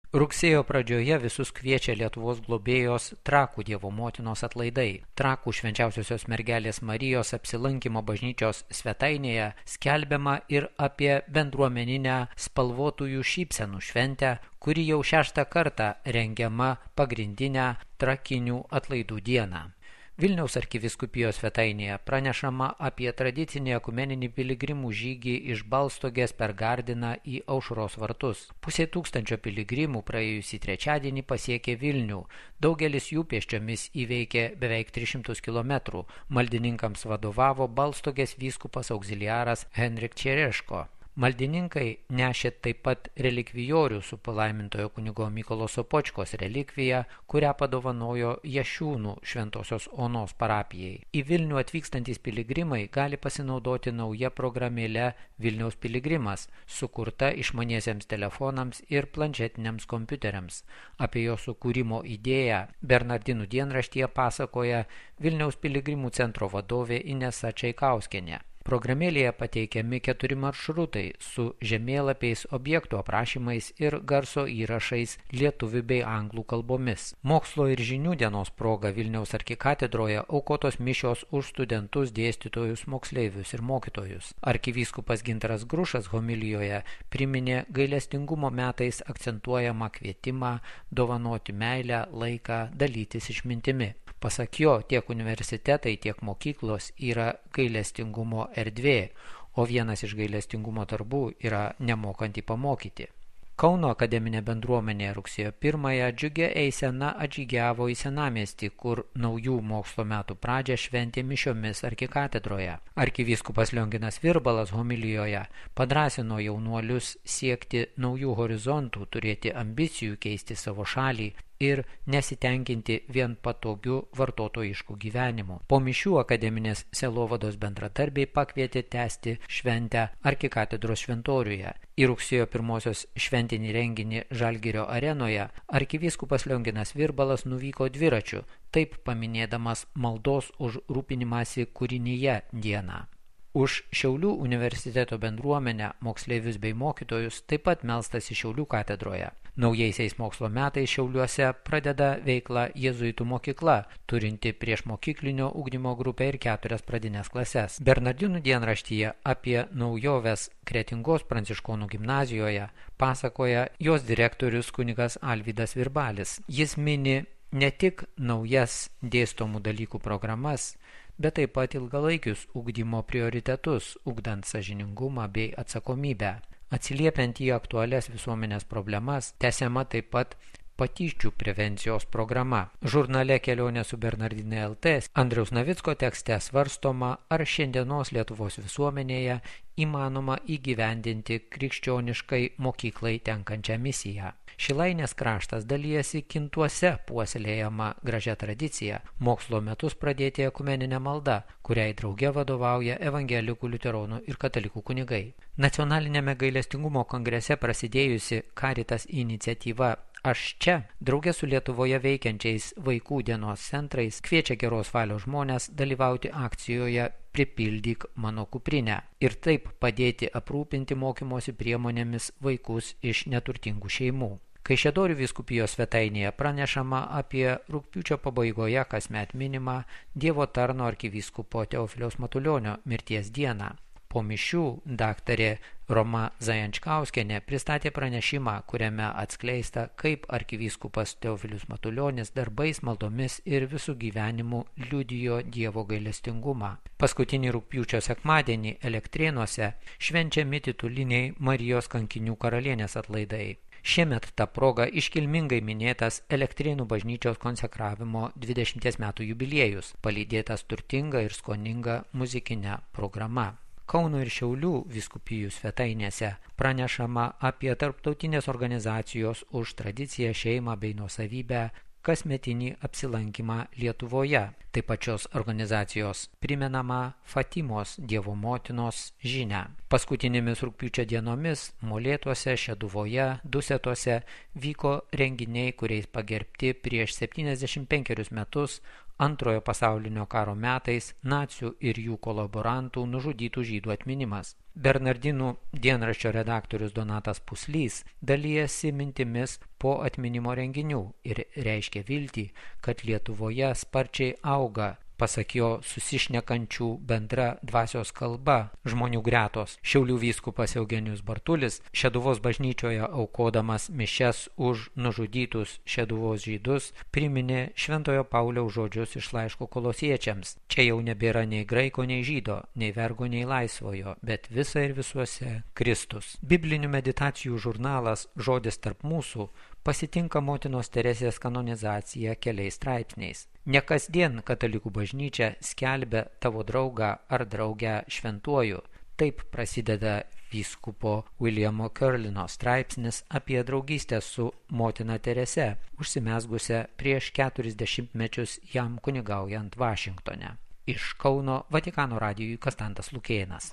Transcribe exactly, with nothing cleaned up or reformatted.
Rugsėjo pradžioje visus kviečia Lietuvos globėjos Trakų Dievo motinos atlaidai. Trakų švenčiausiosios mergelės Marijos apsilankimo bažnyčios svetainėje skelbiama ir apie bendruomeninę spalvotųjų šypsenų šventę, kuri jau šeštą kartą rengiama pagrindinę trakinių atlaidų dieną. Vilniaus arkivyskupijos svetainėje pranešama apie tradicinį ekumeninį piligrimų žygį iš Balstogės per Gardiną į Aušros vartus. Pusė tūkstančio piligrimų praėjusį trečiadienį pasiekė Vilnių. Daugelis jų pėsčiomis įveikė beveik tris šimtus kilometrų. Maldininkams vadovavo Balstogės vyskupas auxiliaras Henrik Čereško. Maldininkai nešė taip pat relikvijorių su palaimintojo kunigo Mykolo Sopočkos relikvija, kurią padovanojo Jašiūnų Šventosios Onos parapijai. Į Vilnių atvykstantys piligrimai gali pasinaudoti nauja programėle Vilniaus piligrimas, sukurta išmaniesiems telefonams ir planšetiniams kompiuteriams. Apie jo sukūrimo idėją Bernardinų dienraštyje pasakoja Vilniaus piligrimų centro vadovė Inesa Čaikauskienė. Programėlėje pateikiami keturi maršrutai su žemėlapiais, objektų aprašymais ir garso įrašais lietuvių bei anglų kalbomis. Mokslo ir žinių dienos proga Vilniaus arkikatedroje aukotos mišios už studentus, dėstytojus, moksleivius ir mokytojus. Arkivyskupas Gintaras Grušas homilijoje priminė gailestingumo metais akcentuojamą kvietimą dovanoti meilę, laiką, dalytis išmintimi. Pasak jo, tiek universitetai, tiek mokyklos yra gailestingumo erdvė, o vienas iš gailestingumo darbų yra nemokantį pamokyti. Kauno akademinė bendruomenė rugsėjo pirmąją džiugia eisena atžygiavo į Senamiestį, kur naujų mokslo metų pradžią šventė mišiomis arkikatedroje. Arkivyskupas Lionginas Virbalas homilijoje padrąsino jaunuolius siekti naujų horizontų, turėti ambicijų keisti savo šalį ir nesitenkinti vien patogiu vartotojišku gyvenimu. Po mišių akademinės sielovados bendradarbiai pakvietė tęsti šventę arkikatedros šventoriuje. Į rugsėjo pirmosios šventinį renginį Žalgirio arenoje arkivyskupas Lionginas Virbalas nuvyko dviračiu, taip paminėdamas maldos už rūpinimąsi kūrinyje dieną. Už Šiaulių universiteto bendruomenę, moksleivius bei mokytojus taip pat melstasi Šiaulių katedroje. Naujaisiais mokslo metais Šiauliuose pradeda veiklą jėzuitų mokykla, turinti priešmokyklinio ugdymo grupę ir keturias pradines klases. Bernardinų dienraštyje apie naujoves Kretingos pranciškonų gimnazijoje pasakoja jos direktorius kunigas Alvydas Virbalis. Jis mini ne tik naujas dėstomų dalykų programas, bet taip pat ilgalaikius ugdymo prioritetus, ugdant sąžiningumą bei atsakomybę. Atsiliepiant į aktualias visuomenės problemas, tęsiama taip pat patyčių prevencijos programa. Žurnale Kelionė su Bernardinai L T Andriaus Navicko tekste svarstoma, ar šiandienos Lietuvos visuomenėje įmanoma įgyvendinti krikščioniškai mokyklai tenkančią misiją. Šilainės kraštas dalyjasi Kintuose puoselėjama gražia tradicija mokslo metus pradėti ekumeninę maldą, kuriai drauge vadovauja evangelikų, liuteronų ir katalikų kunigai. Nacionalinėme gailestingumo kongrese prasidėjusi Caritas iniciatyva Aš čia, drauge su Lietuvoje veikiančiais vaikų dienos centrais, kviečia geros valios žmonės dalyvauti akcijoje Pripildyk mano kuprinę ir taip padėti aprūpinti mokymosi priemonėmis vaikus iš neturtingų šeimų. Kaišiadorių vyskupijos svetainėje pranešama apie rugpjūčio pabaigoje kasmet minimą Dievo tarno arkivyskupo Teofiliaus Matulionio mirties dieną. Po mišių daktarė Roma Zajančkauskienė pristatė pranešimą, kuriame atskleista, kaip arkivyskupas Teofilius Matulionis darbais, maldomis ir visų gyvenimų liudijo Dievo gailestingumą. Paskutinį rugpjūčio sekmadienį Elektrėnuose švenčiami tituliniai Marijos kankinių karalienės atlaidai. Šiemet ta proga iškilmingai minėtas Elektrėnų bažnyčios konsekravimo dvidešimties metų jubiliejus, palydėtas turtinga ir skoninga muzikinė programa. Kauno ir Šiaulių vyskupijų svetainėse pranešama apie tarptautinės organizacijos už tradiciją, šeimą bei nuosavybę kasmetinį apsilankymą Lietuvoje. Taip pat šios organizacijos primenama Fatimos Dievo motinos žinią. Paskutinėmis rugpjūčio dienomis Molėtuose, Šeduvoje, Dusetose vyko renginiai, kuriais pagerbti prieš septyniasdešimt penkerius metus Antrojo pasaulinio karo metais nacių ir jų kolaborantų nužudytų žydų atminimas. Bernardinų dienraščio redaktorius Donatas Puslys dalijasi mintimis po atminimo renginių ir reiškia viltį, kad Lietuvoje sparčiai auga, pasak jo, susišnekančių bendra dvasios kalba žmonių gretos. Šiaulių vyskupas Eugenijus Bartulis Šeduvos bažnyčioje aukodamas mišias už nužudytus Šeduvos žydus priminė Šventojo Pauliaus žodžius iš laiško Kolosiečiams. Čia jau nebėra nei graiko, nei žydo, nei vergo, nei laisvojo, bet visa ir visuose Kristus. Biblinių meditacijų žurnalas Žodis tarp mūsų pasitinka motinos Teresės kanonizaciją keliais straipsniais. Ne kasdien katalikų bažnyčia skelbia tavo draugą ar draugę šventuoju. Taip prasideda vyskupo Williamo Curlino straipsnis apie draugystę su motina Terese, užsimezgusią prieš keturis dešimtmečius jam kunigaujant Vašingtone. Iš Kauno Vatikano radijui Kastantas Lukėnas.